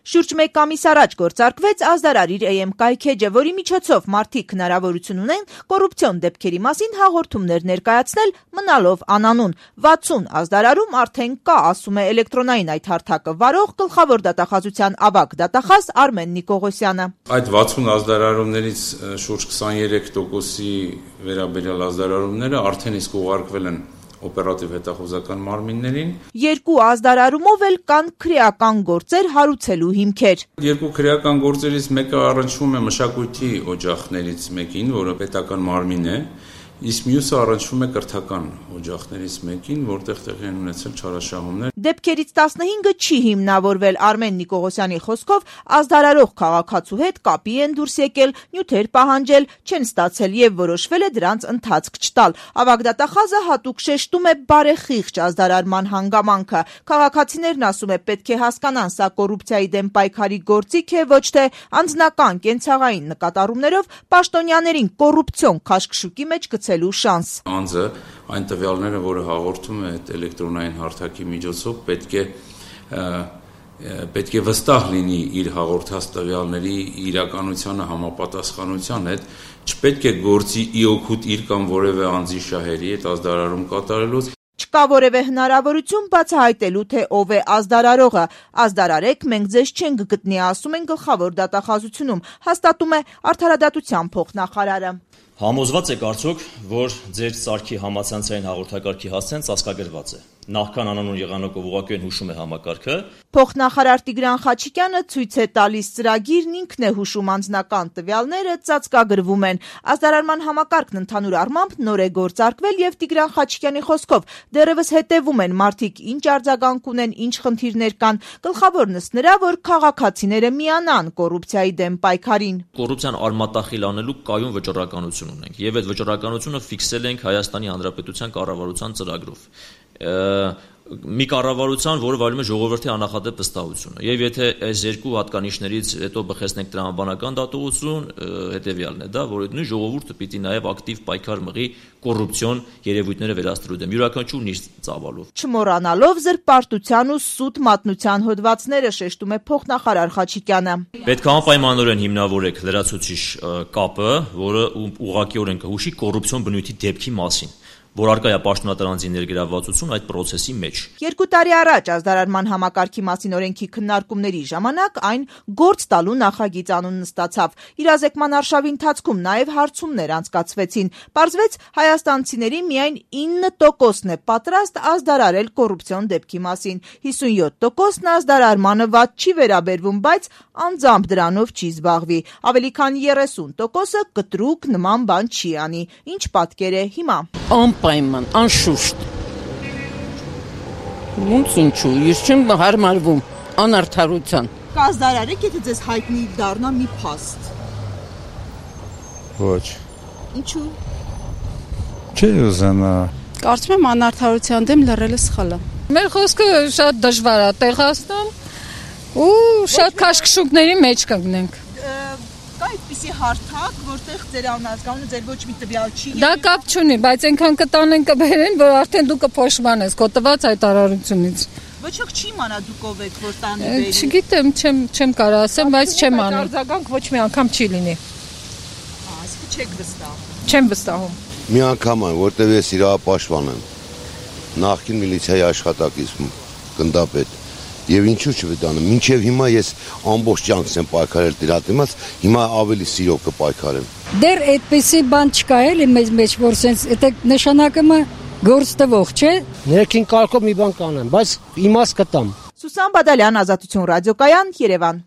Շուրջ 1 ամիս առաջ գործարկվեց ազդարար իր AM կայքեջը, որի միջոցով մարդիկ հնարավորություն ունեն կոռուպցիոն դեպքերի մասին հաղորդումներ ներկայացնել, մնալով անանուն։ 60 ազդարարում արդեն կա, ասում է էլեկտրոնային այդ հարթակը վարող գլխավոր դատախազության ավագ դատախազ Արմեն Նիկողոսյանը։ Այդ 60 ազդարարումներից շուրջ 23%-ի վերաբերյալ ազդարարումները արդեն իսկ ուղարկվել են օպերատիվ հետախուզական մարմիններին։ 2 ազդարարումով էլ կան քրեական գործեր հարուցելու հիմքեր։ 2 քրեական գործերից մեկը առնչվում է մշակույթի օջախներից մեկին, որը պետական մարմին է, իսկ մյուսը առնչվում է կրթական օջախներից մեկին, որտեղ տեղի են ունեցել չարաշահումներ։ Դեպքերից 15-ը չի հիմնավորվել Արմեն Նիկողոսյանի խոսքով, ազդարարող քաղաքացու հետ կապի են դուրս եկել, նյութեր պահանջել, չեն ստացել եւ որոշվել է դրանց ընթացք չտալ։ Ավագ դատախազը հատուկ շեշտում է բարեխիղճ ազդարարման հանգամանքը։ Քաղաքացիներն, ասում է, պետք է հասկանան, սա կոռուպցիայի դեմ պայքարի գործիք է, ոչ թե անձնական կենցաղային նկատառումներով պաշտոնյաներին կոռուպցիոն քաշքշուկի մեջ գցելու շանս։ Անձը այն տվյալները, որը հաղորդում է այդ էլեկտրոնային հարթակի միջոցով, պետք է վստահ լինի իր հաղորդած տվյալների իրականությանը համապատասխանության հետ, չպետք է գործի ի օգուտ իր կամ որևէ անձի շահերի հետ ազդարարում կատարելուց։ Չկա որևէ հնարավորություն բացահայտելու, թե ով է ազդարարողը։ Ազդարարեք, մենք ձեզ չենք գտնի, ասում են գլխավոր դատախազությունում, հաստատում է Արդարադատության փոխնախարարը։ Համոզված եք արդյոք, որ ձեր սարքի համացանցային հաղորդակարգի հասցեն ծածկագրված է։ Նախքան անանուն եղանակով ուղղակի հուշում է համակարգը։ Փոխնախարար Տիգրան Խաչիկյանը ցույց է տալիս ծրագիրն, ինքն է հուշում անձնական տվյալները, ծածկագրվում են։ Ազդարարման համակարգն ընդհանուր առմամբ նոր է գործարկվել եւ Տիգրան Խաչիկյանի խոսքով դեռևս հետևում են մարդիկ ինչ արձագանք ունեն, ինչ խնդիրներ կան։ Գլխավորն ըստ նրա, որ քաղաքացիները միանան կոռուպցիայի դեմ պայքարին։ Կոռուպցիան արմատախիլ անելու կայուն վճռականություն ունենք եւ այդ վճռականությունը ֆիքսել ենք Հայաստանի Հանրապետության կառավարության ծրագրով։ Մի կառավարության, որը վայելում է ժողովրդի աննախադեպ վստահությունը։ Եվ եթե այս 2 հատկանիշներից հետո բխեցնենք տրամաբանական դատողություն, հետեւյալն է դա, որ նույն ժողովուրդը պիտի նաև ակտիվ պայքար մղի կոռուպցիոն երևույթները վերացնելու դեմ, յուրաքանչյուրն իր ծավալով։ Չմոռանալով զրպարտության ու սուտ մատնության հոդվածները, շեշտում է փոխնախարար Խաչիկյանը։ Պետք է անպայմանորեն հիմնավորեք լրացուցիչ կապը, որը ուղղակիորեն կհուշի կոռուպցիոն բնույթի դեպքի մասին, որ արկա է պաշտոնատար ներգրավվածություն այդ process-ի մեջ։ 2 տարի առաջ ազդարարման համակարգի մասին օրենքի քննարկումների ժամանակ այն գործ տալու նախագիծ անուն ստացավ։ Իրազեկման արշավի ընթացքում նաև հարցումներ անցկացվեցին։ Պարզվեց, հայաստանցիների միայն 9%-ն է պատրաստ ազդարարել կոռուպցիոն դեպքի մասին։ 57%-ն ազդարարմանը վատ չի վերաբերվում, բայց անձամբ դրանով չի զբաղվի։ Ավելի քան 30%-ը կտրուկ նման բան չի անի։ Ինչ պատկեր է հիմա։ Անպայման, անշուշտ։ Ոնց ինչու, ես չեմ հարմարվում անարդարության։ Կազդարարեք, եթե ձեզ հայտնի դառնա մի փաստ։ Ոչ։ Ինչու։ Չի ուզենա։ Կարծում եմ անարդարության դեմ լռելը սխալ է։ Մեր խոսքը շատ դժվար է տեղացնում ու շատ քաշքշուկների մեջ կգնենք։ Կա այդպիսի հարթակ, որտեղ ձեր անհատականությունը ձեր ոչ մի տվյալ չի։ Դա կապ չունի, բայց այնքան կտանեն կբերեն, որ արդեն դու կփոշմանես քո տված հայտարարությունից։ Ոչ ոք չի իմանա դուք ով եք, որ տանի բերի։ Չգիտեմ, չեմ կարող ասեմ, բայց չեմ անի։ Արձագանք ոչ մի անգամ չի լինի։ Այսինքն չեք վստահ։ Չեմ վստահում։ Մի անգամ այն, որտեղ ես իրավապաշտպան եմ, նախկին միլիցիայի աշխատակից գնդապետ։ Եվ ինչու չվետանեմ, մինչև հիմա ես ամբողջ կյանքս եմ պայքարել դրա դիմաց, հիմա ավելի սիրով կպայքարեմ։ Դեռ այդպեսի բան չկա էլի մեզ մեջ, որ սենց դա նշանակում է գործ տվող, չէ։ Ներքին կարգով մի բան կանեմ, բայց իմաստ կտամ։ Սուսան Բադալյան, Ազատություն ռադիոկայան, Երևան։